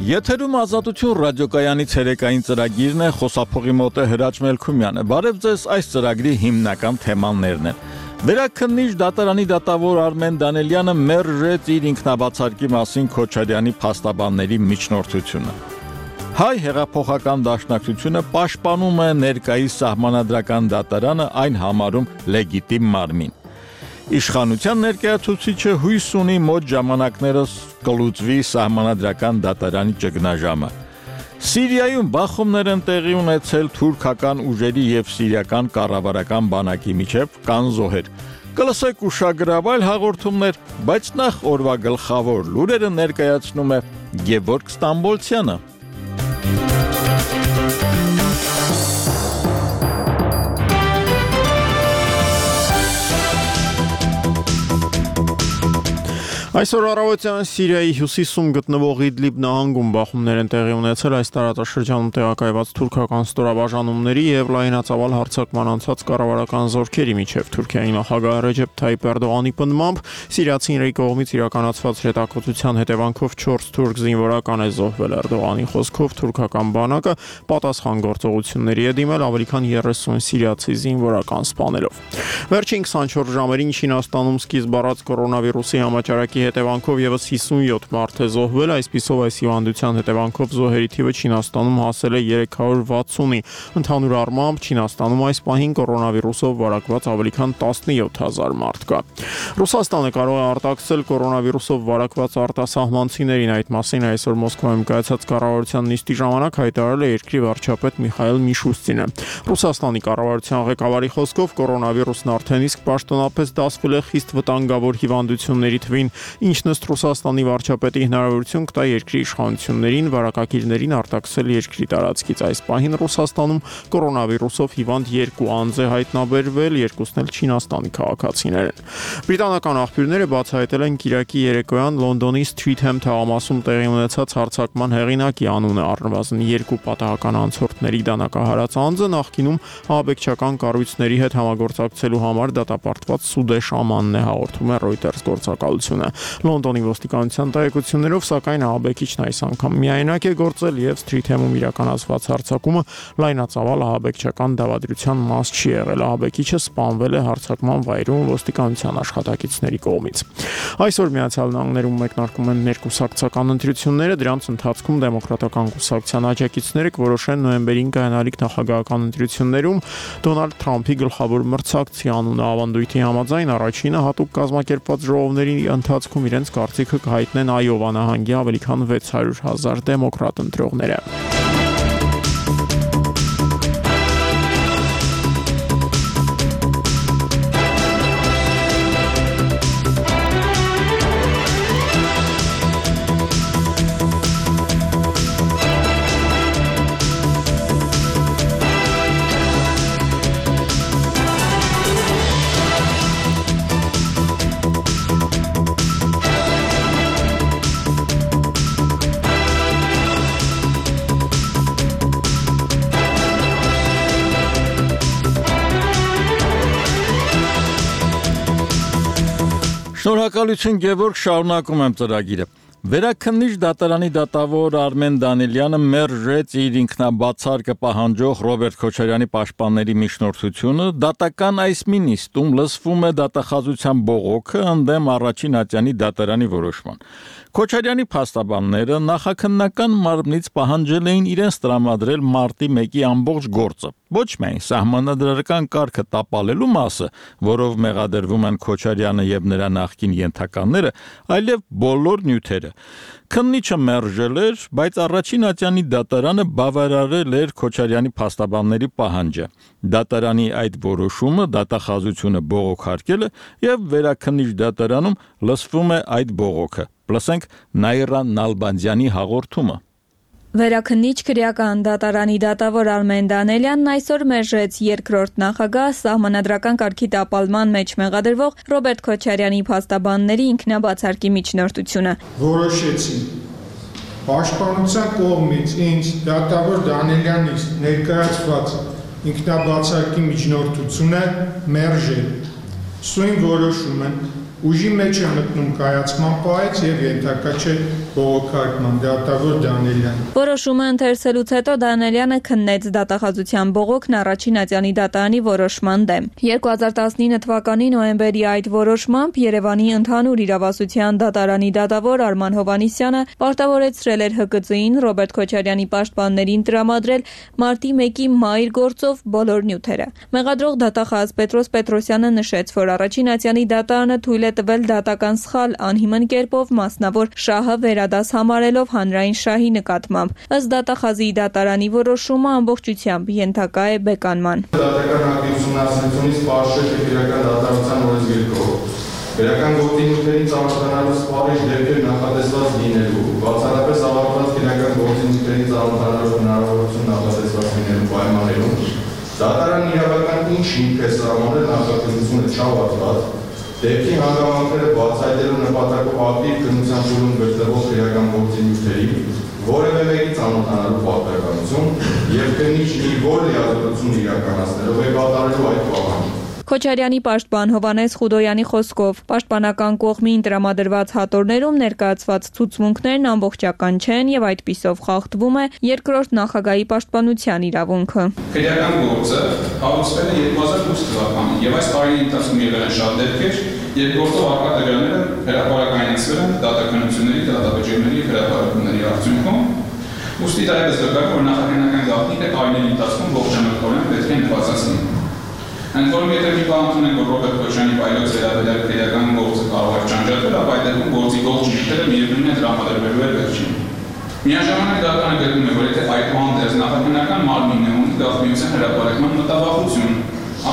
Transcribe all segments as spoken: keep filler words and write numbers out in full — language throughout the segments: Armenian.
Եթերում Ազատություն ռադիոկայանի ցերեկային ծրագիրն է, խոսափողի մոտ է Հրաչ Մելքումյանը։ Բարև ձեզ, այս ծրագրի հիմնական թեմաներն են։ Վերաքննիչ դատարանի դատավոր Արմեն Դանելյանը մերժեց իր ինքնաբացարկի մասին Քոչարյանի փաստաբանների միջնորդությունը։ Հայ հեղափոխական դաշնակցությունը պաշտպանում է ներկայիս սահմանադրական դատարանը, այն համարում լեգիտիմ մարմին։ Իշխանության ներկայացուցիչը հույս ունի մոտ ժամանակներս կլուծվի սահմանադրական դատարանի ճգնաժամը։ Սիրիայում բախումներ են տեղի ունեցել թուրքական ուժերի եւ սիրիական կառավարական բանակի միջև, կան զոհեր։ Կլսեք ուշագրավ այլ հաղորդումներ, բայց նախ օրվա գլխավոր լուրերը ներկայացնում է Գևորգ Ստամբոլցյանը։ Այսօր առավոտյան Սիրիայի հյուսիսում գտնվող Իդլիբ նահանգում բախումներ են տեղի ունեցել այս տարածաշրջանում տեղակայված թուրքական ստորաբաժանումների եւ լայնածավալ հարձակման անցած կառավարական զորքերի միջև։ Թուրքիայի նախագահ Ռեջեփ Թայիփ Էրդողանի պնդմամբ սիրիացիների կողմից իրականացված հետաքրքրության հետևանքով չորս թուրք զինվորական է զոհվել։ Էրդողանի խոսքով թուրքական բանակը պատասխան գործողությունների է դիմել ավելի քան երեսուն սիրիացի զինվորական սպանելով։ Վերջին քսանչորս ժամերին Չինաստանում սկիզբ առած կորոնավիրուսի համաճարակի հետևանքով եւս հիսունյոթ մարդ է զոհվել, այսպիսով այս հիվանդության հետևանքով զոհերի թիվը Չինաստանում հասել է երեք հարյուր վաթսունի։ Ընդհանուր առմամբ Չինաստանում այս պահին կորոնավիրուսով վարակված ավելի քան տասնյոթ հազար մարդ կա։ Ռուսաստանը կարող է արտաքսել կորոնավիրուսով վարակված արտասահմանցիներին, այդ մասին այսօր Մոսկվայում կայացած կառավարության նիստի ժամանակ հայտարարել է երկրի վարչապետ Միխայիլ Միշուստինը։ Ռուսաստանի կառավարության ղեկավարի խոսքով կորոնավիրուսն արդեն իսկ պաշտոնապես դասվել է խիստ վտանգավոր հիվանդությունների թվին, ինչն ըստ Ռուսաստանի վարչապետի հնարավորություն կտա երկրի իշխանություններին վարակագիրներին արտաքսել երկրի տարածքից։ Այս պահին Ռուսաստանում կորոնավիրուսով հիվանդ երկու անձ է հայտնաբերվել, երկուսն էլ Չինաստանի քաղաքացիներ են։ Բրիտանական աղբյուրները բացահայտել են Կիրակի երեկոյան Լոնդոնի Սթրիթհեմ թաղամասում տեղի ունեցած հարձակման հեղինակի անունը, առնվազն երկու պատահական անցորդների դանակահարած անձը նախկինում ահաբեկչական կառույցների հետ համագործակցելու համար դատապարտված Սուդեշ Ամանն է, հաղորդում է Reuters գործակալությունը։ Լոնդոնի ոստիկանության տեղեկություններով, սակայն ահաբեկիչն այս անգամ միայնակ է գործել եւ Սթրիթհեմում իրականացված հարձակումը լայնածավալ ահաբեկչական դավադրության մաս չի եղել։ Ահաբեկիչը սպանվել է հարձակման վայրում ոստիկանության աշխատակիցների կողմից։ Այսօր Միացյալ Նահանգներում մեկնարկում են ներկուսակցական ընտրությունները, դրանց ընթացքում դեմոկրատական կուսակցության աջակիցները կորոշեն նոյեմբերին կայանալիք նախագահական ընտրություններում Դոնալդ Թրամփի գլխավոր մրցակցի անունը։ Ավանդույթի համաձայն առաջինը հատուկ կազմակերպված ժողովների ընթացքում իրենց կարծիքը կհայտնեն Այովա նահանգի ավելի քան վեց հարյուր հազար դեմոկրատ ընտրողները։ Շնորհակալություն Գևորգ, շարունակում եմ ծրագիրը։ Վերաքննիչ դատարանի դատավոր Արմեն Դանելյանը մերժեց իր ինքնաբացարկը պահանջող Ռոբերտ Քոչարյանի պաշտպանների միջնորդությունը, դատական այս մի նիստում լսվում է դատախազության բողոքը ընդդեմ առաջին ատյանի դատարանի որոշման։ Քոչարյանի փաստաբանները նախաքննական մարմնից պահանջել էին իրենց տրամադրել մարտի մեկի ամբողջ գործը, ոչ միայն սահմանադրական կարգը տապալելու մասը, որով մեղադրվում են Քոչարյանը եւ նրա նախկին ենթականները, այլև բոլոր նյութերը։ Քննիչը մերժել էր, բայց առաջին ատյանի դատարանը բավարարել էր Քոչարյանի փաստաբանների պահանջը։ Դատարանի այդ որոշումը դատախազությունը բողոքարկել է եւ վերաքննիչ դատարանում լսվում է այդ բողոքը։ Լսենք Նաիրա Նալբանդյանի հաղորդումը։ Վերաքննիչ քրեական դատարանի դատավոր Արմեն Դանելյանն այսօր մերժեց երկրորդ նախագահ սահմանադրական կարգի տապալման մեջ մեղադրվող Ռոբերտ Քոչարյանի փաստաբանների ինքնաբացարկի միջնորդությունը։ Որոշեցի պաշտպանության կողմից ինձ դատավոր Դանելյանի ներկայացված ինքնաբացարկի միջնորդությունը մերժել։ Սույն որոշումը ուժի մեջ է մտնում կայացման պահից եւ ենթակա չէ բողոքարկման դատավոր Դանելյան։ Որոշումը ընթերցելուց հետո Դանելյանը քննեց դատախազության բողոքն առաջին ատյանի դատարանի որոշման դեմ։ երկու հազար տասնինը թվականի նոյեմբերի այդ որոշմամբ Երևանի ընդհանուր իրավասության դատարանի դատավոր Արման Հովհաննիսյանը պարտավորեցրել էր Հ Կ Ծ-ին Ռոբերտ Քոչարյանի պաշտպաններին տրամադրել մարտի մեկի մայր գործով բոլոր նյութերը։ Մեղադրող դատախազ Պետրոս Պետրոսյանը նշեց, որ առաջին ատյանի դատարանը թույլ է տվել դատական սխալ անհիմն կերպով մասնավոր շահը վերադաս համարելով հանրային շահի նկատմամբ։ Ըստ դատախազի դատարանի որոշումը ամբողջությամբ ենթակա է բեկանման։ Դատական ակտի ուսումնասիրությունից պարզ չէ, թե քրեական դատարանության օրենսգիրքով քրեական գործի նյութերին ծանոթանալու սպառիչ դեպքեր նախատեսված լինելու, բացառապես ավարտված քրեական գործի նյութերին ծանոթանալու հնարավորություն նախատեսված լինելու պայմաններում դատարանն իրավական ինչ հիմք է սահմանել նախատեսությունը չավարտված դեպքի հանգամանքները բացահայտելու նպատակով ակտիվ քննության փուլում գտնվող քրեական գործի նյութերի որևէ մեկի ծանոթանալու պարտականություն եւ քննիչն իր որ լիազորություն իրականացնելով է կատարելու այդ պահանջը։ Քոչարյանի պաշտպան Հովհաննես Խուդոյանի խոսքով պաշտպանական կողմին տրամադրված հատորներում ներկայացված ցուցմունքներն ամբողջական չեն եւ այդպիսով խախտվում է երկրորդ նախագահի պաշտպանության իրավունքը։ Քրեական գործը հարուցվել է երկու հազար ութ թվականին եւ այս տարիների ընթացքում եղել են շատ դեպքեր, երբ գործով առկա տվյալները հրապարակայնացվել են դատականությունների, դատավճիռների եւ հրապարակումների արդյունքում։ Ուստի դայպես վկայում, որ նախագահական գաղտնիքը տարիների ընթացքում ողջամտորեն պետք է նվազեցնի։ Ընդ որում, եթե մի բան ընդունենք, որ Ռոբերտ Քոչարյանի վայրոց վերաբերյալ քրեական գործը կարող է ճանաչել, ապա այդ դեպքում գործի ողջ նյութերը միևնույն է տրամադրվելու է վերջին։ Միաժամանակ դատարանը գտնում է, որ եթե այդուհանդերձ նախագահական մարմինն ունի գաղտնիության հրապարակման մտավախություն,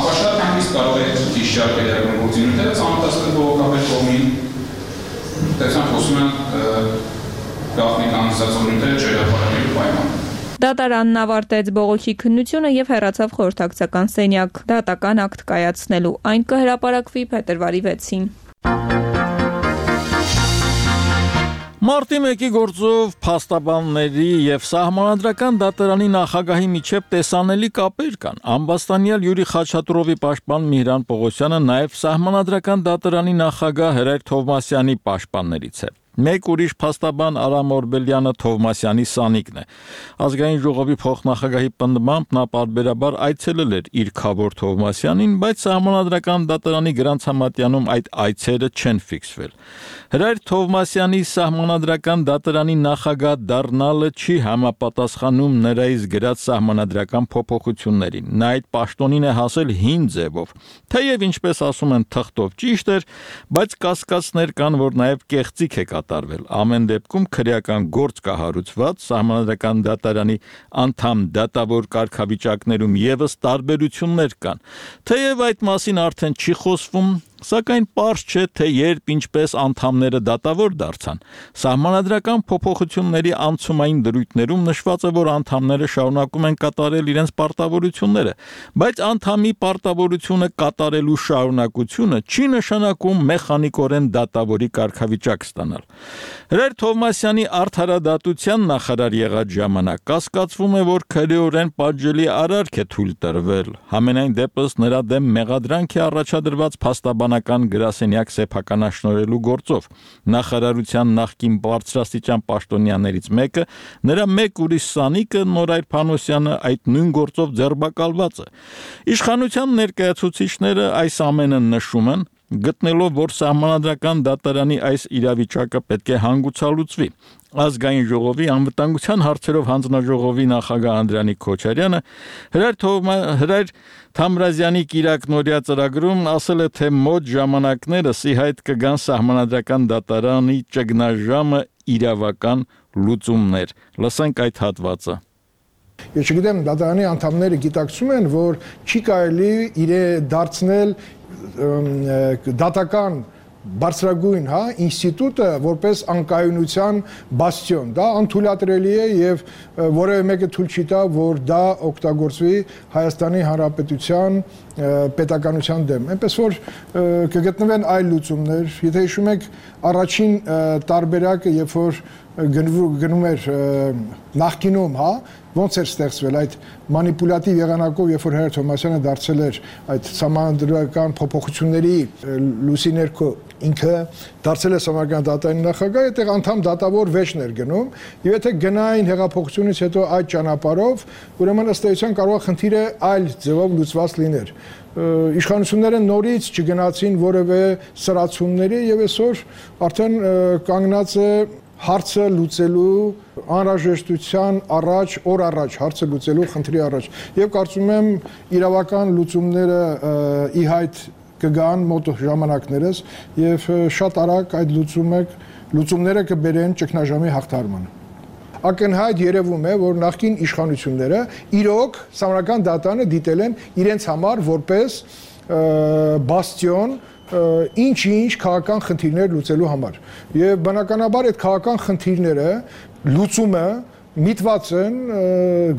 ապա շատ հանգիստ կարող է ճիշտ քրեական գործի նյութերը ծանոթացնել բողոքաբեր կողմին, տեսան խոսում են գաղտնիական ստացող նյութերը չհրապարակելու պայմանով։ Դատարանն ավարտեց բողոքի քննությունը եւ հեռացավ խորհրդակցական սենյակ դատական ակտ կայացնելու։ Այն կհրապարակվի փետրվարի վեցին։ Մարտի մեկի գործով փաստաբանների եւ սահմանադրական դատարանի նախագահի միջև տեսանելի կապեր կան։ Ամբաստանյալ Յուրի Խաչատուրովի պաշտպան Միհրան Պողոսյանը նաեւ սահմանադրական դատարանի նախագահ Հրայր Թովմասյանի պաշտպաններից է։ Մեկ ուրիշ փաստաբան Արամ Օրբելյանը Թովմասյանի սանիկն է։ Ազգային ժողովի փոխնախագահի պնդմամբ նա պարբերաբար այցելել էր իր քավոր Թովմասյանին, բայց սահմանադրական դատարանի գրանցամատյանում այդ այցերը չեն ֆիքսվել։ Հրայր Թովմասյանի սահմանադրական դատարանի նախագահ դառնալը չի համապատասխանում նրանից գրած սահմանադրական փոփոխություններին։ Նա այդ պաշտոնին է հասել հին ձևով։ Թեև ինչպես ասում են թղթով ճիշտ էր, բայց կասկածներ կան, որ նաև կեղծիք է կատարվել։ Ամեն դեպքում քրեական գործ կա հարուցված, սահմանադրական դատարանի անդամ դատավոր կարգավիճակներում եւս տարբերություններ կան։ Թեև այդ մասին արդեն չի խոսվում, սակայն պարզ չէ, թե երբ ինչպես անդամները դատավոր դարձան։ Սահմանադրական փոփոխությունների անցումային դրույթներում նշված է, որ անդամները շարունակում են կատարել իրենց պարտավորությունները, բայց անդամի պարտավորությունը կատարելու շարունակությունը չի նշանակում մեխանիկորեն դատավորի կարգավիճակ ստանալ։ Հրայր Թովմասյանի արդարադատության նախարար եղած ժամանակ կասկածվում է, որ քրեորեն պատժելի արարք է թույլ տրվել։ Համենայն դեպս նրա դեմ մեղադրանք է առաջադրված փաստաբանական գրասենյակ սեփականաշնորհելու գործով։ Նախարարության նախկին բարձրաստիճան պաշտոնյաներից մեկը, նրա մեկ ուրիշ սանիկը Նորայր Փանոսյանը այդ նույն գործով ձերբակալված է։ Իշխանության ներկայացուցիչները այս ամենը նշում են, գտնելով, որ սահմանադրական դատարանի այս իրավիճակը պետք է հանգուցալուծվի։ Ազգային ժողովի անվտանգության հարցերով հանձնաժողովի նախագահ Անդրանիկ Քոչարյանը Հրայր Հրայր Թամրազյանի կիրակնօրյա ծրագրում ասել է, թե մոտ ժամանակներս ի հայտ կգան սահմանադրական դատարանի ճգնաժամը իրավական լուծումներ։ Լսենք այդ հատվածը։ Ես չգիտեմ, դատարանի անդամները գիտակցում են, որ չի կարելի իրեն դարձնել դատական բարձրագույն, հա, ինստիտուտը որպես անկայունության բաստիոն, դա անթույլատրելի է եւ որևէ մեկը թույլ չի տա, որ դա օգտագործվի Հայաստանի Հանրապետության պետականության դեմ։ Այնպես որ կգտնվեն այլ լուծումներ, եթե հիշում եք, առաջին տարբերակը, երբ որ գնում էր նախկինում, հա, ոնց էր ստեղծվել այդ մանիպուլատիվ եղանակով, երբ որ Հերթ Թոմասյանը դարձել էր այդ սահմանադրական փոփոխությունների լույսի ներքո ինքը դարձել է Սահմանադրական դատարանի նախագահ, այդտեղ անդամ դատավոր վեճն էր գնում, եւ եթե գնային հեղափոխությունից հետո այդ ճանապարհով, ուրեմն ըստ էության կարող է խնդիրը այլ ձևով լուծված լիներ։ Իշխանությունները նորից չգնացին որևէ սրացումների եւ այսօր արդեն կանգնած է հարցը լուծելու անհրաժեշտության առաջ, օր առաջ հարցը լուծելու խնդրի առաջ եւ կարծում եմ իրավական լուծումները ի հայտ կգան մոտ ժամանակներս եւ շատ արագ այդ լուծումը լուծումները կբերեն ճգնաժամի հաղթարմանը։ Ակնհայտ երևում է, որ նախկին իշխանությունները իրոք Սահմանադրական դատարանը դիտել են իրենց համար որպես բաստիոն ինչ-ինչ քաղաքական խնդիրներ լուծելու համար։ Եվ բնականաբար այդ քաղաքական խնդիրները լուծումը միտված են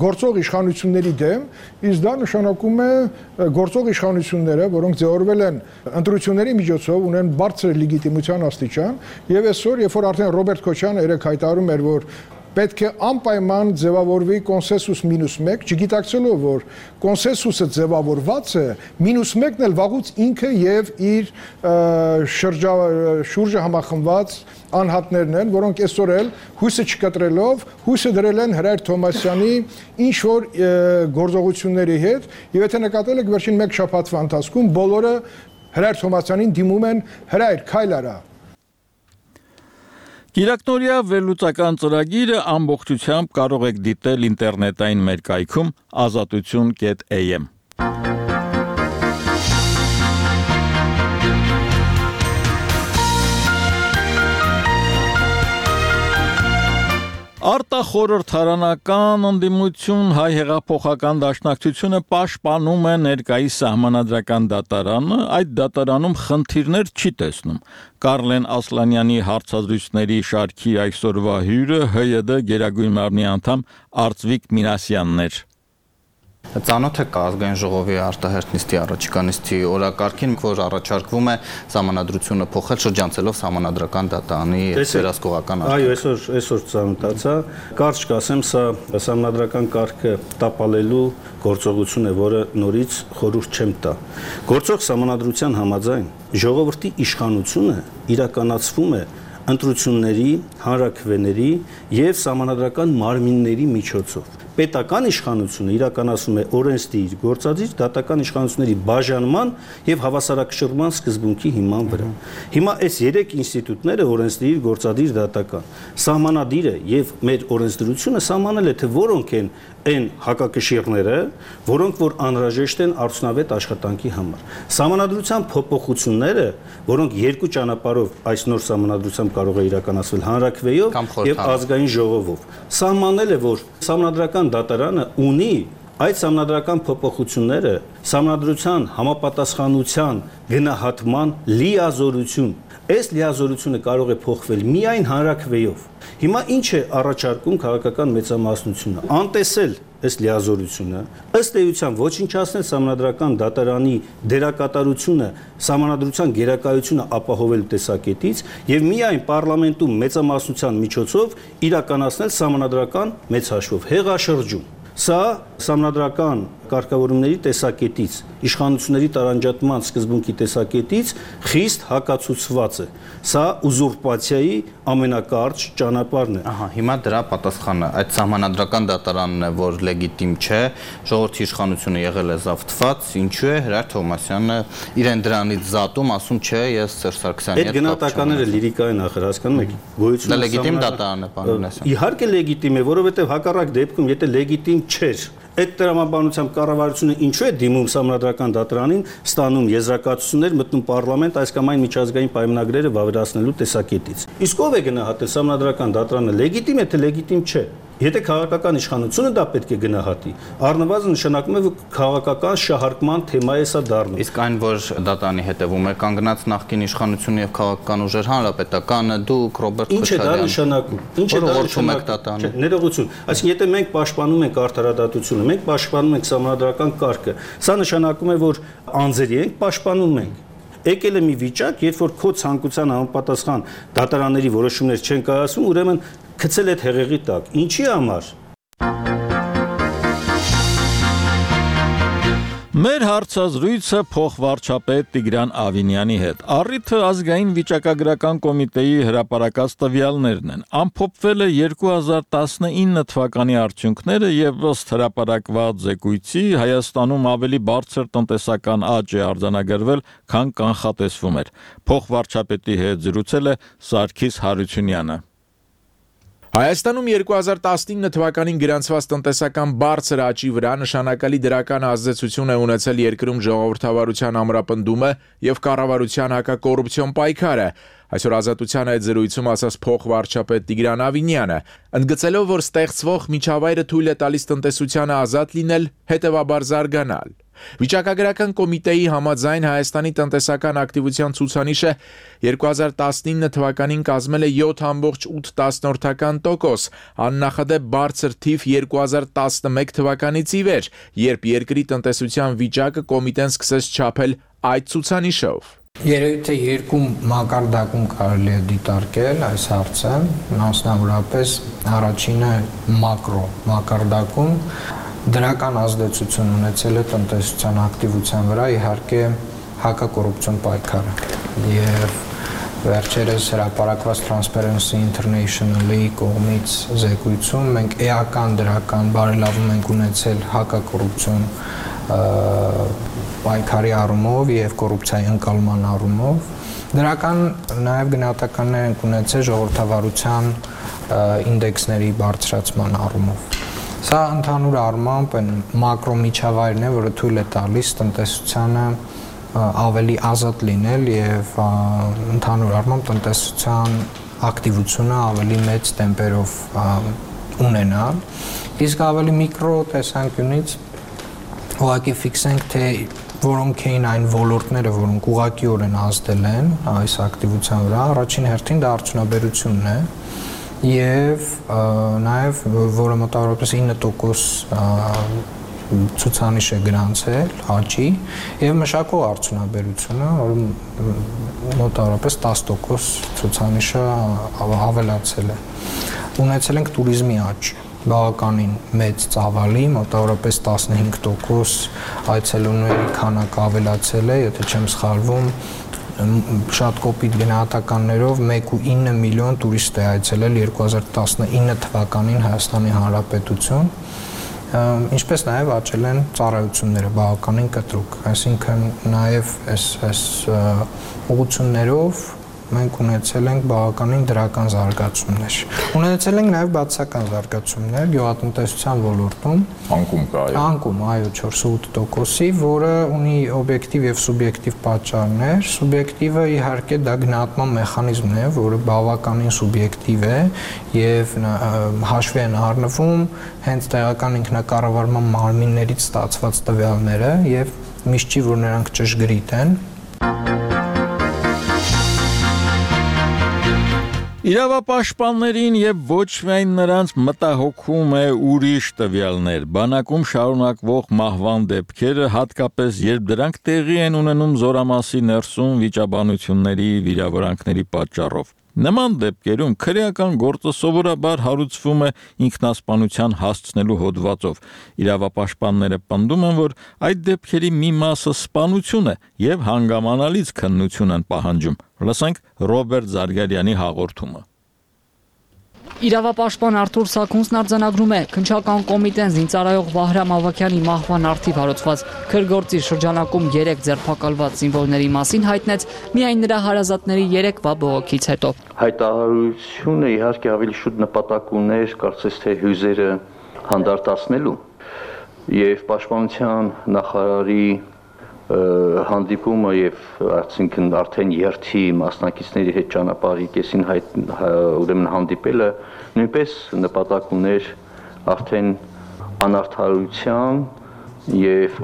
գործող իշխանությունների դեմ, իսկ դա նշանակում է գործող իշխանությունները, որոնք ձևավորվել են ընտրությունների միջոցով, ունեն բարձր լեգիտիմության աստիճան, եւ այսօր, երբ որ արդեն Ռոբերտ Քոչյանը երեք հայտարարում էր, որ պետք է անպայման ձևավորվի կոնսենսուս մինուս մեկ, չգիտակցելով, որ կոնսենսուսը ձևավորված է, մինուս մեկն էլ վաղուց ինքը եւ իր շրջա շուրջը համախմբված անհատներն են, որոնք այսօր էլ հույսը չկտրելով, հույսը դրել են Հրայր Թոմասյանի ինչ որ գործողությունների հետ, եւ եթե նկատել եք վերջին մեկ շաբաթվա ընթացքում բոլորը Հրայր Թոմասյանին դիմում են Հրայր, քայլ արա։ Գիրակնորիա վերլուծական ծրագիրը ամբողջությամբ կարող եք դիտել ինտերնետային մեր կայքում ազատություն կետ A M։ Արտախորհրդարանական ընդդիմություն հայ հեղափոխական դաշնակցությունը պաշտպանում է ներկայիս Սահմանադրական դատարանը, այդ դատարանում խնդիրներ չի տեսնում։ Կարլեն Ասլանյանի հարցազրույցների շարքի այսօրվա հյուրը H Y D Գերագույն մարմնի անդամ Արծվիկ Մինասյանն էր։ Ծանոթ է ազգային ժողովի արտահերթ նիստի առաջիկա նիստի օրակարգին, որ առաջարկվում է սահմանադրությունը փոխել շրջանցելով Սահմանադրական դատարանի վերահսկողական արտահերթ։ Այո, այսօր այսօր ծանոթացա, կարճ կասեմ, սա Սահմանադրական կարգը տապալելու գործողություն է, որը նորից խորհուրդ չեմ տա։ Գործող Սահմանադրության համաձայն ժողովրդի իշխանությունը իրականացվում է ընտրությունների, հանրաքվեների եւ սահմանադրական մարմինների միջոցով։ Պետական իշխանությունը իրականացվում է օրենսդիր, գործադիր, դատական իշխանությունների բաժանման եւ հավասարակշռման սկզբունքի հիման վրա։ Հիմա այս երեք ինստիտուտները օրենսդիր, գործադիր, դատական, սահմանադիրը եւ մեր օրենսդրությունը սահմանել է, թե որոնք են այն հակակշիռները, որոնք որ անհրաժեշտ են արդյունավետ աշխատանքի համար։ Սահմանադրության փոփոխությունները, որոնք երկու ճանապարհով այս նոր սահմանադրությամբ կարող է իրականացվել հանրաքվեով եւ ազգային ժողովով, սահմանել է, որ Սահմանադրական դատարանը ունի այդ սահմանադրական փոփոխությունները սահմանադրության համապատասխանության գնահատման լիազորություն։ Այս լիազորությունը կարող է փոխվել միայն հանրաքվեով։ Հիմա ինչ է առաջարկում քաղաքական մեծամասնությունը։ Անտեսել այս լիազորությունը, ըստ էության ոչնչացնել Սահմանադրական դատարանի դերակատարությունը Սահմանադրության գերակայությունը ապահովելու տեսակետից եւ միայն պարլամենտում մեծամասնության միջոցով իրականացնել Սահմանադրական մեծ հաշվով հեղաշրջում։ Սա Սահմանադրական կարգավորումների տեսակետից, իշխանությունների տարանջատման սկզբունքի տեսակետից խիստ հակացուցված է։ Սա ուզուրպացիայի ամենակարճ ճանապարհն է։ Ահա, հիմա դրա պատասխանը այդ Սահմանադրական դատարանն է, որ լեգիտիմ չէ, ժողովրդի իշխանությունը եղել է զավթված, ինչու է Հրայր Թոմասյանը իրեն դրանից զատում, ասում չէ, ես Սերժ Սարգսյանի հետ կապ չունեմ։ Այդ գնահատականները լիրիկային ախր, հասկանում եք, գոյությունը դա լեգիտիմ դատարան է, պարոն Մինասյան։ Իհարկե լեգիտիմ է, որովհետև հակառակ դեպքում, եթե լեգիտիմ չէր, այդ տրամաբանությամբ կառավարությունը ինչու է դիմում Սահմանադրական դատարանին, ստանում եզրակացություններ, մտնում պարլամենտ այս կամ այն միջազգային պայմանագրերը վավերացնելու տեսակետից։ Իսկ ով է գնահատել Սահմանադրական դատարանը լեգիտիմ է, թե լեգիտիմ չէ։ Եթե քաղաքական իշխանությունը դա պետք է գնահատի, առնվազն նշանակում է, որ քաղաքական շահարկման թեմա է սա դառնում։ Իսկ այն, որ դատարանի հետևում է կանգնած նախկին իշխանությունը եւ քաղաքական ուժեր, հանրապետականը, դուք Ռոբերտ Քոչարյանը, ինչ է դա նշանակում։ Ինչ է դա նշանակում։ Ներողություն։ Այսինքն եթե մենք պաշտպանում ենք արդարադատությունը, մենք պաշտպանում ենք Սահմանադրական կարգը, սա նշանակում է, որ անձերի ենք պաշտպանում ենք։ Եկել է մի վիճակ, երբ որ քո ցանկության համապատասխան դատարանների որոշումներ չեն կայացվում, ուրեմն գցել այդ հեղեղի տակ։ Ինչի համար։ Մեր հարցազրույցը փոխվարչապետ Տիգրան Ավինյանի հետ։ Առիթը ազգային վիճակագրական կոմիտեի հրապարակած տվյալներն են։ Ամփոփվել է երկու հազար տասնինը թվականի արդյունքները եւ ըստ հրապարակված զեկույցի Հայաստանում ավելի բարձր տնտեսական աճ է արձանագրվել, քան կանխատեսվում էր։ Փոխվարչապետի հետ զրուցել է Սարգիս Հարությունյանը։ Հայաստանում երկու հազար տասնինը թվականին գրանցված տնտեսական բարձր աճի վրա նշանակալի դրական ազդեցություն է ունեցել երկրում ժողովրդավարության ամրապնդումը եւ կառավարության հակակոռուպցիոն պայքարը։ Այսօր Ազատության այդ զրույցում ասաց փոխվարչապետ Տիգրան Ավինյանը, ընդգծելով, որ ստեղծվող միջավայրը թույլ է տալիս տնտեսությանը ազատ լինել, հետևաբար զարգանալ։ Վիճակագրական կոմիտեի համաձայն Հայաստանի տնտեսական ակտիվության ցուցանիշը երկու հազար տասնինը թվականին կազմել է յոթ կόμma ութ տոկոս, աննախադեպ բարձր թիվ երկու հազար տասնմեկ թվականից ի վեր, երբ երկրի տնտեսության վիճակը կոմիտեն սկսեց չափել այդ ցուցանիշով։ Երևի թե երկու մակարդակում կարելի է դիտարկել այս հարցը, մասնավորապես առաջինը մակրո մակարդակում դրական ազդեցություն ունեցել է տնտեսության ակտիվության վրա, իհարկե հակակոռուպցիոն պայքարը եւ վերջերս հրապարակված Transparency International-ի կողմից զեկույցում մենք էական դրական բարելավում ենք ունեցել հակակոռուպցիոն պայքարի առումով եւ կոռուպցիայի ընկալման առումով, դրական նաեւ գնահատականներ ենք ունեցել ժողովրդավարության ինդեքսների բարձրացման առումով։ Սա ընդհանուր առմամբ այն մակրո միջավայրն է, որը թույլ է տալիս տնտեսությանը ավելի ազատ լինել եւ ընդհանուր առմամբ տնտեսության ակտիվությունը ավելի մեծ տեմպերով ունենալ։ Իսկ ավելի միկրո տեսանկյունից ուղղակի ֆիքսենք, թե որոնք էին այն ոլորտները, որոնք ուղղակիորեն ազդել են այս ակտիվության վրա, առաջին հերթին դա արդյունաբերությունն է եւ նաեւ որը մոտավորապես ինը տոկոս ցուցանիշ է գրանցել աճի եւ մշակող արդյունաբերությունը, որը մոտավորապես տասը տոկոս ցուցանիշը ավելացել է։ Ունեցել ենք туриզմի աճ, բավականին մեծ ծավալի, մոտավորապես տասնհինգ տոկոս այցելուների քանակը ավելացել է, եթե չեմ սխալվում, շատ կոպիտ գնահատականներով մեկ կόμμα ինը միլիոն տուրիստ է այցելել երկու հազար տասնինը թվականին Հայաստանի Հանրապետություն, ինչպես նաև աճել են ծառայությունները բավականին կտրուկ, այսինքն նաև այս այս ուղղություններով մենք ունեցել ենք բավականին դրական զարգացումներ։ Ունեցել ենք նաև բացասական զարգացումներ գյուղատնտեսության ոլորտում։ Անկում կա, այո։ Անկում, այո, չորսունութ տոկոսի, որը ունի օբյեկտիվ եւ սուբյեկտիվ պատճառներ։ Սուբյեկտիվը իհարկե դա գնահատման մեխանիզմն է, որը բավականին սուբյեկտիվ է եւ հաշվի են առնվում հենց տեղական ինքնակառավարման մարմիններից ստացված տվյալները եւ միշտ չի, որ նրանք ճշգրիտ են։ Իրավապաշտպաններին եւ ոչ միայն նրանց մտահոգում է ուրիշ տվյալներ, բանակում շարունակվող մահվան դեպքերը, հատկապես երբ դրանք տեղի են ունենում զորամասի ներսում վիճաբանությունների վիրավորանքների պատճառով։ Նման դեպքերում քրեական գործը սովորաբար հարուցվում է ինքնասպանության հասցնելու հոդվածով։ Իրավապաշտպանները պնդում են, որ այդ դեպքերի մի մասը սպանություն է եւ հանգամանալից քննություն են պահանջում։ Լսենք Ռոբերտ Զարգարյանի հաղորդումը։ Իրավապաշտպան Արթուր Սաքունցն արձանագրում է, քննչական կոմիտեն զինծառայող Վահրամ Ավագյանի մահվան առթիվ հարուցված քրգործի շրջանակում երեք ձերբակալված զինվորների մասին հայտնեց միայն նրա հարազատների երեկվա բողոքից հետո։ Հայտարարությունը իհարկե ավելի շուտ նպատակ ուներ, կարծես թե հյուզերը հանդարտացնելու եւ պաշտպանության նախարարի հանդիպումը եւ այսինքն արդեն երթի մասնակիցների հետ ճանապարհի կեսին հայտ ուրեմն հանդիպելը նույնպես նպատակ ուներ արդեն անարդարության եւ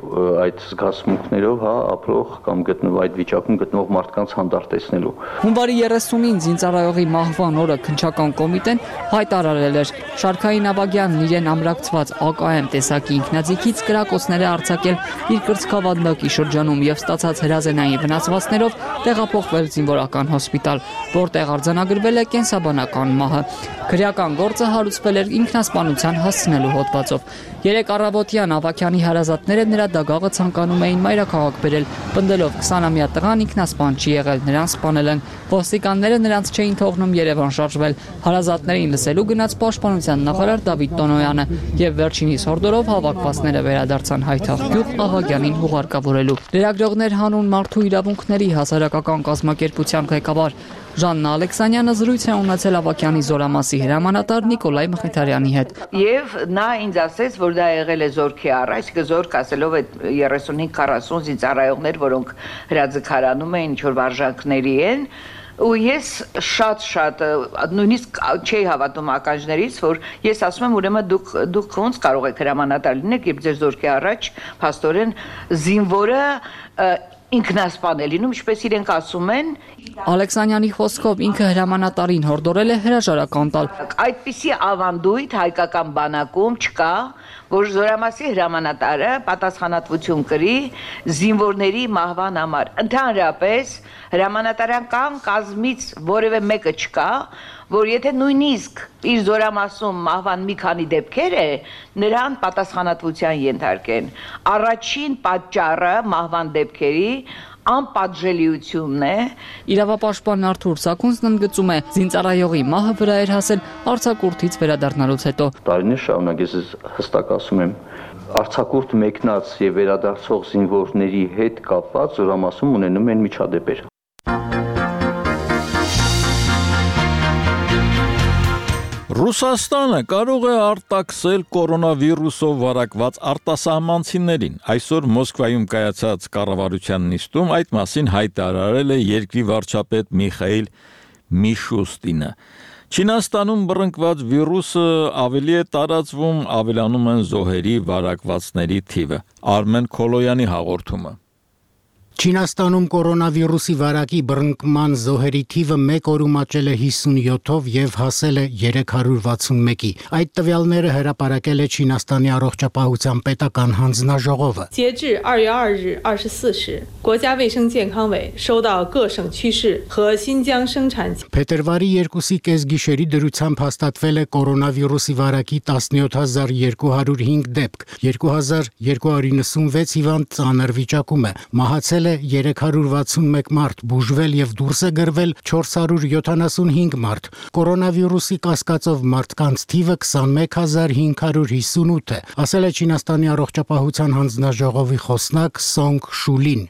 այդ զգացմունքներով հա ապրող կամ գտնվող այդ վիճակում գտնվող մարդկանց հանդարտեցնելու։ Հունվարի երեսունին զինծառայողի մահվան օրը քննչական կոմիտեն հայտարարել էր Շարքային Ավագյանն իրեն ամրակցված A K M տեսակի ինքնաձիգից կրակոցներ է արձակել իր կրծքավանդակի շրջանում եւ ստացած հրազենային վնասվածքներով տեղափոխվել զինվորական հոսպիտալ, որտեղ արձանագրվել է կենսաբանական մահը։ Քրեական գործը հարուցվել էր ինքնասպանության հասցնելու հոդվածով։ Երեք առավոտյան Ավագյանի հարազատները նրա դագաղը ցանկանում էին մայրաքաղաք բերել, պնդելով քսանամյա տղան ինքնասպան չի եղել, նրան սպանել են։ Ոստիկանները նրանց չէին թողնում Երևան շարժվել։ Հարազատներին լսելու գնաց պաշտպանության նախարար Դավիթ Տոնոյանը եւ վերջինիս հորդորով հավաքվածները վերադարձան Հայթաղ Ավագյանին հուղարկավորելու։ Լրագրողներ հանուն մարդու իրավունքների հասարակական կազմակերպության ղեկավար Ժաննա Ալեքսանյանը զրույց է ունեցել Ավագյանի զորամասի հրամանատար Նիկոլայ Մխիթարյանի հետ։ Եվ նա ինձ ասեց, որ դա եղել է զորքի առ, այսինքն զորք ասելով այդ երեսունհինգ քառասուն զինծառայողներ, որոնք հրաձգարանում էին, ինչ որ վարժանքների են, ու ես շատ-շատ նույնիսկ չէի հավատում ականջներից, որ ես ասում եմ, ուրեմն դուք դուք ոնց կարող եք հրամանատար լինեք, երբ ձեր զորքի առաջ փաստորեն զինվորը ինքնասպան է լինում, ինչպես իրենք ասում են։ Ալեքսանյանի խոսքով ինքը հրամանատարին հորդորել է հրաժարական տալ։ Այդպիսի ավանդույթ հայկական բանակում չկա, որ զորամասի հրամանատարը պատասխանատվություն կրի զինվորների մահվան համար։ Ընդհանրապես հրամանատարական կազմից որևէ մեկը չկա, որ եթե նույնիսկ իր զորամասում մահվան մի քանի դեպքեր է, նրան պատասխանատվության ենթարկեն։ Առաջին պատճառը մահվան դեպքերի անպատժելիությունն է։ Իրավապաշտպան Արթուր Սաքունցն ընդգծում է, զինծառայողի մահը վրա էր հասել արձակուրդից վերադառնալուց հետո։ Տարիներ շարունակ ես հստակ ասում եմ, արձակուրդ մեկնած եւ վերադարձող զինվորների հետ կապված զորամասում ունենում են միջադեպեր։ Ռուսաստանը կարող է արտաքսել կորոնավիրուսով վարակված արտասահմանցիներին։ Այսօր Մոսկվայում կայացած կառավարության նիստում այդ մասին հայտարարել է երկրի վարչապետ Միխայիլ Միշուստինը։ Չինաստանում բռնկված վիրուսը ավելի է տարածվում, ավելանում են զոհերի վարակվածների թիվը։ Արմեն Քոլոյանի հաղորդումը։ Չինաստանում կորոնավիրուսի վարակի բռնկման զոհերի թիվը մեկ օրում աճել է հիսունյոթով եւ հասել է երեք հարյուր վաթսունմեկի։ Այդ տվյալները հրապարակել է Չինաստանի առողջապահության պետական հանձնաժողովը։ Փետրվարի երկուսի կեսգիշերի դրությամբ հաստատվել է կորոնավիրուսի վարակի տասնյոթ հազար երկու հարյուր հինգ դեպք, երկու հազար երկու հարյուր նվսունվեց հիվանդ ծանր վիճակում է, մահացել երեք հարյուր վաթսունմեկ մարդ, բուժվել եւ դուրս է գրվել չորս հարյուր յոթանասունհինգ մարդ։ Կորոնավիրուսի կասկածով մարդկանց թիվը քսանմեկ հազար հինգ հարյուր հիսունութ է, ասել է Չինաստանի առողջապահության հանձնաժողովի խոսնակ Սոնգ Շուլին։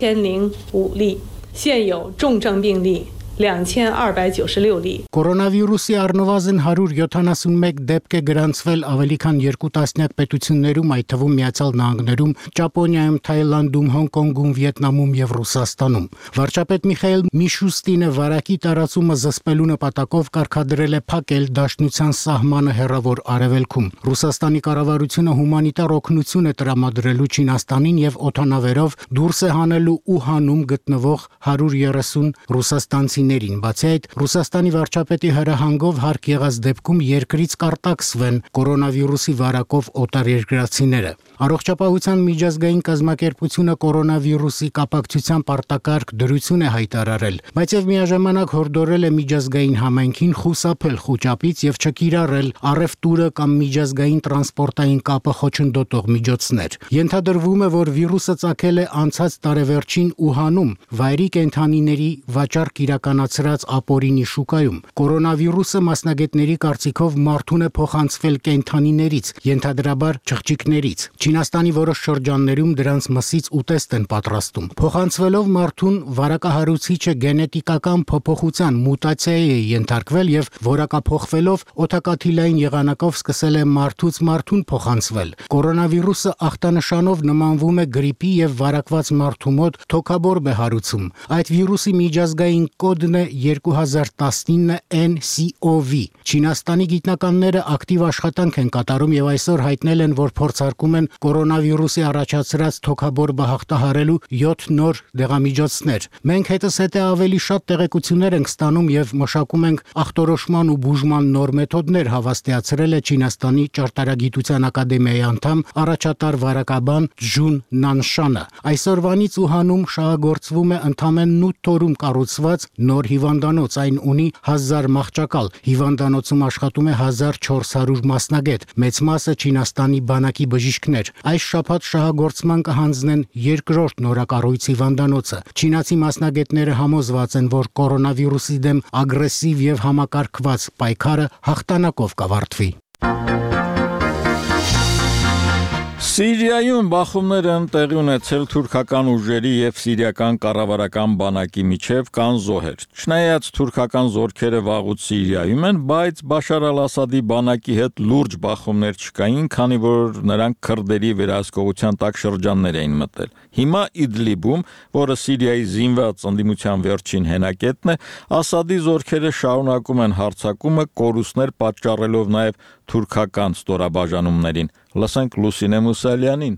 Կորոնավիրուսի առնվազն հարյուր յոթանասունմեկ դեպք է գրանցվել ավելի քան երկու տասնյակ պետություններում, այդ թվում Միացյալ Նահանգներում, Ճապոնիայում, Թայլանդում, Հոնկոնգում, Վիետնամում եւ Ռուսաստանում։ Վարչապետ Միխայիլ Միշուստինը վարակի տարածումը զսպելու նպատակով կարգադրել է փակել դաշնության սահմանը հեռավոր արևելքում։ Ռուսաստանի կառավարությունը հումանիտար օգնություն է տրամադրելու Չինաստանին եւ օդանավերով դուրս է հանելու Ուհանում գտնվող հարյուր երեսուն ռուսաստանցի Բացի այդ, Ռուսաստանի վարչապետի հրահանգով հարկ եղած դեպքում երկրից կարտաքսվեն կորոնավիրուսի վարակով օտարերկրացիները։ Առողջապահության միջազգային կազմակերպությունը կորոնավիրուսի կապակցությամբ արտակարգ դրություն է հայտարարել, բայց եւ միաժամանակ հորդորել է միջազգային համայնքին խուսափել խոճապից եւ չկիրառել առևտուրը կամ միջազգային տրանսպորտային կապը խոչընդոտող միջոցներ։ Ենթադրվում է, որ վիրուսը ծագել է անցած տարեվերջին Ուհանում, վայրի կենդանիների վաճառք իրականացրած ապօրինի շուկայում։ Կորոնավիրուսը մասնագետների կարծիքով մարդուն է փոխանցվել կենդանիներից, ենթադրաբար չղջիկներից։ Չինաստանի որոշ շրջաններում դրանց մսից ուտեստ են պատրաստում։ Փոխանցվելով մարդուն վարակահարուցիչը գենետիկական փոփոխության մուտացիայի է ենթարկվել եւ որակափոխվելով օդակաթիլային եղանակով սկսել է մարդուց մարդուն փոխանցվել։ Կորոնավիրուսը ախտանշանով նմանվում է գրիպի եւ վարակված մարդու մոտ թոքաբորբ է հարուցում։ Այդ վիրուսի միջազգային կոդն կոչությունը երկու հազար տասնինը N C O V։ Չինաստանի գիտնականները ակտիվ աշխատանք են կատարում եւ այսօր հայտնել են, որ փորձարկում են կորոնավիրուսի առաջացրած թոքաբոր բահաղտահարելու յոթ նոր դեղամիջոցներ։ Մենք հետզհետե ավելի շատ տեղեկություններ ենք ստանում եւ մշակում ենք ախտորոշման ու բուժման նոր մեթոդներ, հավաստիացրել է Չինաստանի ճարտարագիտության ակադեմիայի անդամ առաջատար վարակաբան Ջուն Նանշանը։ Այսօրվանից Ուհանում շահագործվում է ընդամենը ութ օրում կառուցված նոր հիվանդանոց, այն ունի հազար մահճակալ։ Հիվանդանոցում աշխատում է հազար չորս հարյուր մասնագետ, մեծ մասը Չինաստանի բանակի բժիշկներ։ Այս շաբաթ շահագործման կհանձնեն երկրորդ նորակառույց հիվանդանոցը։ Չինացի մասնագետները համոզված են, որ կորոնավիրուսի դեմ ագրեսիվ եւ համակարգված պայքարը հաղթանակով կավարտվի։ Սիրիայում բախումներ են տեղի ունեցել թուրքական ուժերի եւ սիրիական կառավարական բանակի միջև կան զոհեր։ Չնայած թուրքական զորքերը վաղուց Սիրիայում են, բայց Բաշար al-Ասադի բանակի հետ լուրջ բախումներ չկային, քանի որ նրանք քրդերի վերահսկողության տակ շրջաններ էին մտել։ Հիմա Իդլիբում, որը Սիրիայի զինված ընդդիմության վերջին հենակետն է, Ասադի զորքերը շարունակում են հարձակումը, կորուստներ պատճառելով նաեւ թուրքական ստորաբաժանումներին։ Լսենք Լուսինե Մուսալյանին։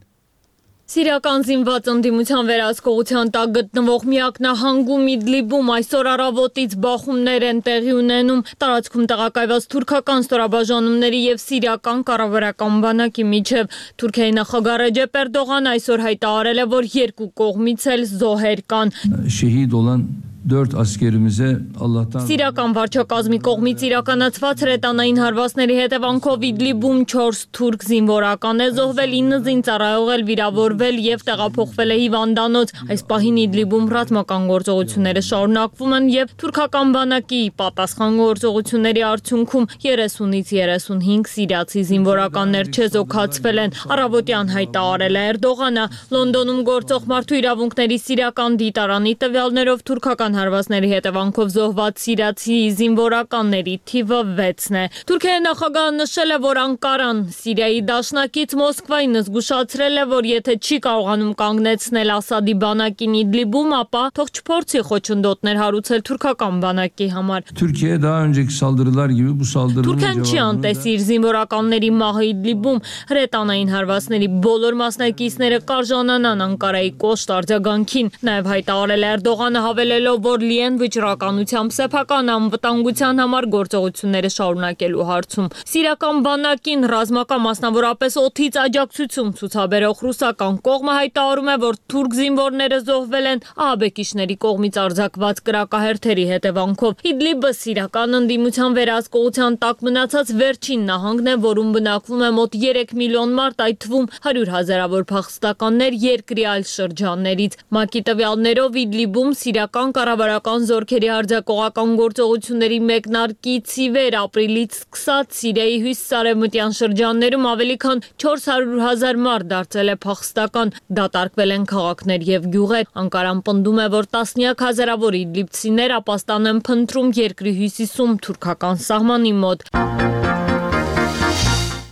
Սիրիական զինված ընդդիմության վերահսկողության տակ գտնվող միակ նահանգում Իդլիբում այսօր առավոտից բախումներ են տեղի ունենում։ Տարածքում տեղակայված թուրքական ստորաբաժանումների եւ սիրիական կառավարական բանակի միջև։ Թուրքիայի նախագահ Ռեջեփ Էրդողանը այսօր հայտարարել է, որ երկու կողմից էլ զոհեր կան։ Şehit olan dört askerimize Allah'tan Սիրիական վարչակազմի կողմից իրականացված հրետանային հարվածների հետևանքով Իդլիբում չորս թուրք զինվորական է զոհվել, ինը զինծառայող էլ վիրավորվել եւ տեղափոխվել է հիվանդանոց։ Այս պահին Իդլիբում ռազմական գործողությունները շարունակվում են եւ թուրքական բանակի պատասխան գործողությունների արդյունքում երեսունից երեսունհինգ սիրիացի զինվորականներ չեզոքացվել են։ Առավոտյան հայտարարել է Էրդողանը։ Լոնդոնում գործող մարդու իրավունքների սիրիական դիտարանի տվյալներով թուրքական հարվածների հետևանքով զոհված սիրիացի զինվորականների թիվը վեցն է։ Թուրքիայի նախագահը նշել է, որ Անկարան Սիրիայի դաշնակից Մոսկվային զգուշացրել է, որ եթե չի կարողանում կանգնեցնել Ասադի բանակին Իդլիբում, ապա թող չփորձի խոչընդոտներ հարուցել թուրքական բանակի համար։ Türkiye daha önceki saldırılar gibi bu saldırının Թուրքիան չի անտեսի իր զինվորականների մահը Իդլիբում, հրետանային հարվածների բոլոր մասնակիցները կարժանանան Անկարայի կոշտ արձագանքին։ Նաև հայտարարել է Էրդողանը, հավելելով, որ լի են վճռականությամբ սեփական անվտանգության համար գործողությունները շարունակելու հարցում։ Սիրիական բանակին ռազմական մասնավորապես օդից աջակցություն ցուցաբերող ռուսական կողմը հայտարարում է, որ թուրք զինվորները զոհվել են ահաբեկիչների կողմից արձակված կրակահերթերի հետևանքով։ Իդլիբը սիրիական ընդդիմության վերահսկողության տակ մնացած վերջին նահանգն է, որում բնակվում է մոտ երեք միլիոն մարդ, այդ թվում հարյուր հազարավոր փախստականներ երկրի այլ շրջաններից։ ՄԱԿ-ի տվյալներով Իդլիբում սիրիական կառավարական զորքերի արձակողական գործողությունների մեկնարկից ի վեր ապրիլից սկսած Սիրիայի հյուսիսարևմտյան շրջաններում ավելի քան չորս հարյուր հազար մարդ դարձել է փախստական, դատարկվել են քաղաքներ եւ գյուղեր։ Անկարան պնդում է, որ տասնյակ հազարավոր իդլիբցիներ ապաստան են փնտրում երկրի հյուսիսում թուրքական սահմանի մոտ։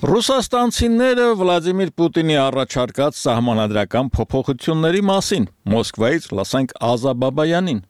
Ռուսաստանցիները Վլադիմիր Պուտինի առաջարկած սահմանադրական փոփոխությունների մասին Մոսկվայից լսենք Ազա Բաբայանին։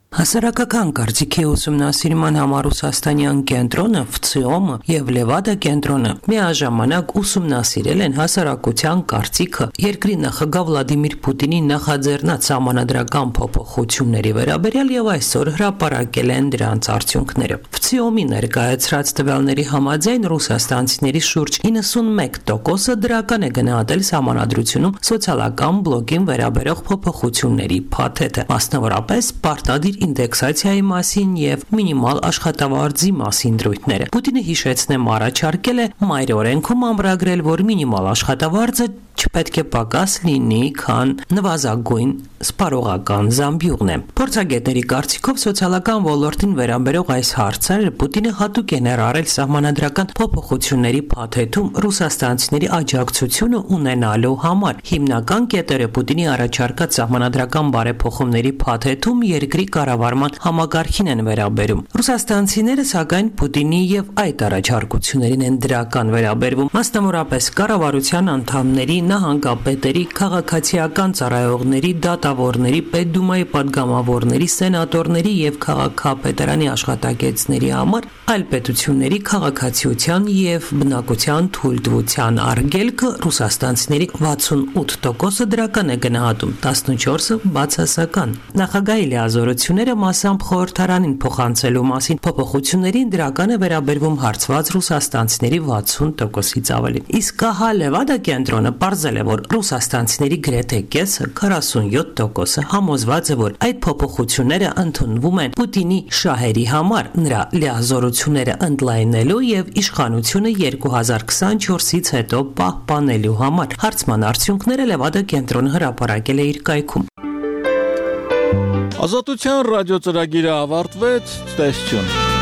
Հասարակական կարծիքի ուսումնասիրման համար Ռուսաստանյան կենտրոնը, ՖՑԻՕՄ-ը եւ Լևադա կենտրոնը միաժամանակ ուսումնասիրել են հասարակության կարծիքը երկրի նախագահ Վլադիմիր Պուտինի նախաձեռնած սահմանադրական փոփոխությունների վերաբերյալ եւ այսօր հրապարակել են դրանց արդյունքները։ ՖՑԻՕՄ-ի ներկայացրած տվյալների համաձայն ռուսաստանցիների շուրջ իննսունմեկ տոկոսը դրական է գնահատել սահմանադրությունում սոցիալական բլոկին վերաբերող փոփոխությունների փաթեթը, մասնավորապես պարտադիր ինդեքսացիայի մասին եւ մինիմալ աշխատավարձի մասին դրույթները։ Պուտինը հիշեցնեմ առաջարկել է մայր օրենքում ամրագրել, որ մինիմալ աշխատավարձը չպետք է պակաս լինի, քան նվազագույն սպառողական զամբյուղն է։ Փորձագետների կարծիքով սոցիալական ոլորտին վերաբերող այս հարցերը Պուտինը հատուկ է ներառել սահմանադրական փոփոխությունների փաթեթում ռուսաստանցիների աջակցությունը ունենալու համար։ Հիմնական կետերը Պուտինի առաջարկած սահմանադրական բարեփոխումների փաթեթում երկրի կառավարման համագարքին են վերաբերում։ Ռուսաստանցիները սակայն Պուտինի եւ այդ առաջարկություններին են դրական վերաբերվում, մասնավորապես կառավարության անդամների նահանգապետերի, քաղաքացիական ծառայողների, դատավորների, պետդումայի պատգամավորների, սենատորների եւ քաղաքապետարանի աշխատակիցների համար այլ պետությունների քաղաքացիության եւ բնակության թույլտվության արգելքը ռուսաստանցիների վաթսունութ տոկոսը դրական է գնահատում, տասնչորսը բացասական։ Նախագահի լիազորությունները մասամբ խորհրդարանին փոխանցելու մասին փոփոխություններին դրական է վերաբերվում հարցված ռուսաստանցիների վաթսուն տոկոսից ավելի։ Իսկ ահա Լևադա կենտրոնը պարզել է, որ ռուսաստանցիների գրեթե կեսը քառասունյոթ տոկոսը համոզված է, որ այդ փոփոխությունները ընդունվում են Պուտինի շահերի համար, նրա լիազորությունները ընդլայնելու եւ իշխանությունը երկու հազար քսանչորսից հետո պահպանելու համար։ Հարցման արդյունքները Լևադա կենտրոնը հրապարակել է իր կայքում։ Ազատության ռադիոծրագիրը ավարտվեց, տեսություն։